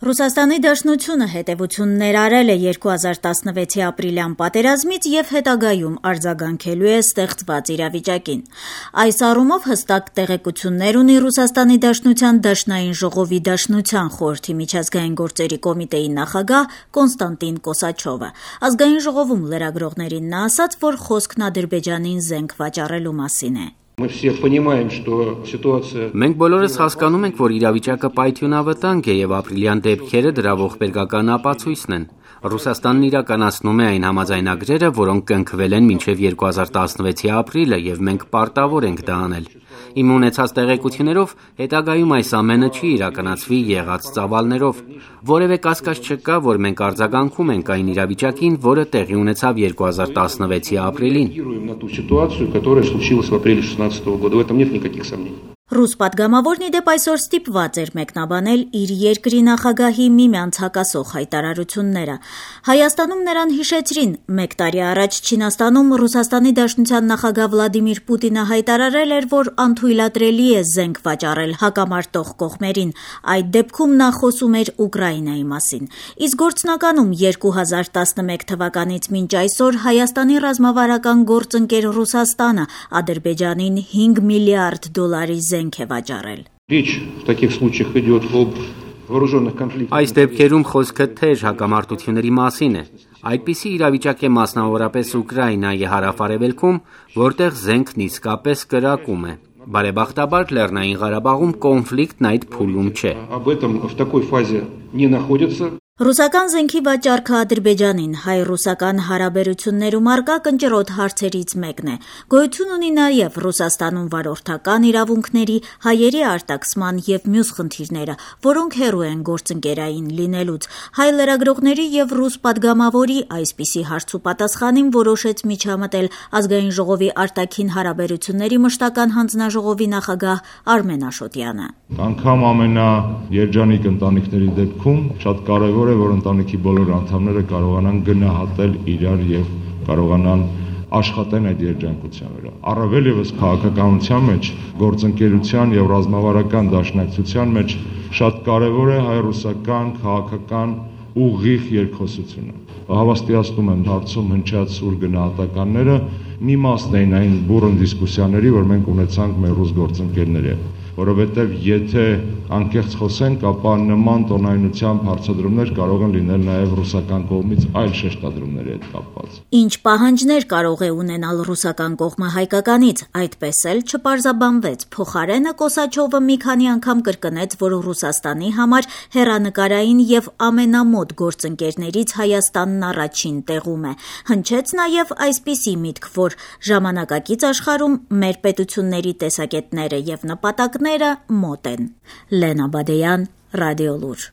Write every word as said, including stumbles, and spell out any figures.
Ռուսաստանի Դաշնությունը հետևություններ արել է երկու հազար տասնվեցի ապրիլյան պատերազմից և հետագայում արձագանքելու է ստեղծված իրավիճակին։ Այս առումով հստակ տեղեկություններ ունի Ռուսաստանի Դաշնության Դաշնային ժողովի Դաշնության խորհրդի միջազգային գործերի կոմիտեի նախագահ Կոնստանտին Կոսաչովը։ Ազգային ժողովում լրագրողներին նա ասաց, որ խոսքն Ադրբեջանին զենք վաճառելու մասին է։ Մենք բոլորս հասկանում ենք, որ իրավիճակը պայթյունավտանգ է և ապրիլյան դեպքերը դրա ողբերգական ապացույցն են։ Ռուսաստանն իրականացնում է այն համաձայնագրերը, որոնք կնքվել են մինչև երկու հազար տասնվեցի ապրիլը, և մենք պարտավոր ենք դա անել։ Իմ ունեցած տեղեկություններով հետագայում այս ամենը չի իրականացվի եղած ծավալներով։ Որևէ կասկած չկա, որ մենք արձագանքում ենք այն իրավիճակին, որը տեղի ունեցավ երկու հազար տասնվեցի ապրիլին։ Ռուս պատգամավորն ի դեպ այսօր ստիպված էր մեկնաբանել իր երկրի նախագահի միմյանց հակասող հայտարարությունները։ Հայաստանում նրան հիշեցրին, մեկ տարի առաջ Չինաստանում Ռուսաստանի Դաշնության նախագահ Վլադիմիր Պուտինը հայտարարել էր, որ անթույլատրելի է զենք վաճառել հակամարտող կողմերին։ Այդ դեպքում նա խոսում էր Ուկրաինայի մասին։ Իսկ գործնականում երկու հազար տասնմեկ թվականից մինչ այսօր Հայաստանի ռազմավարական գործընկեր Ռուսաստանը Ադրբեջանին հինգ միլիարդ դոլարի զենք է վաճառել։ Այս դեպքերում խոսքը թեժ հակամարտությունների մասին է։ Այդպիսի իրավիճակ է մասնավորապես Ուկրաինայի հարավ-արևելքում, որտեղ զենքն իսկապես կրակում է։ Բարեբախտաբար Լեռնային Ղարաբաղում կոնֆլիկտն այդ փուլում չէ։ Ռուսական զենքի վաճառքը Ադրբեջանին հայ-ռուսական հարաբերություններում առկա կնճռոտ հարցերից մեկն է։ Գոյություն ունի նաև Ռուսաստանում վարորդական իրավունքների, հայերի արտաքսման և մյուս խնդիրները, որոնք հեռու են գործընկերային լինելուց։ Հայ լրագրողների և ռուս պատգամավորի այսպիսի հարցուպատասխանին որոշեց միջամտել Ազգային ժողովի արտաքին հարաբերությունների մշտական հանձնաժողովի նախագահ Արմեն Աշոտյանը։ Անգամ ամենաերջանիկ ընտանիքների դեպքում շատ կարևոր է, որ ընտանիքի բոլոր անդամները կարողանան գնահատել իրար և կարողանան աշխատեն այդ երջանկության վրա։ Առավել ևս քաղաքականության մեջ, գործընկերության և ռազմավարական դաշնակցության մեջ շատ կարևոր է հայ-ռուսական քաղաքական ուղիղ երկխոսությունը։ Հավաստիացնում եմ հարցում հնչած սուր գնահատականները մի մասն էին այն բուռն դիսկուսիաների, որ մենք ունեցանք մեր ռուս գործընկերների հետ, որովհետև եթե անկեղծ խոսենք, ապա նման տոնայնությամբ հարցադրումներ կարող են լինել նաև ռուսական կողմից այլ շեշտադրումների հետ կապված։ Ինչ պահանջներ կարող է ունենալ ռուսական կողմը հայկականից, այդպես էլ չպարզաբանվեց։ Փոխարենը Կոսաչովը մի քանի անգամ կրկնեց, որ Ռուսաստանի համար հեռանկարային և ամենամոտ գործընկերներից Հայաստանն առաջին տեղում է։ Հնչեց նաև այսպիսի միտք, որ ժամանակակից աշխարհում մեր պետությունների տեսակետները և նպատակները մոտ են։ Լենա Բադեյան, Ռադիոլուր։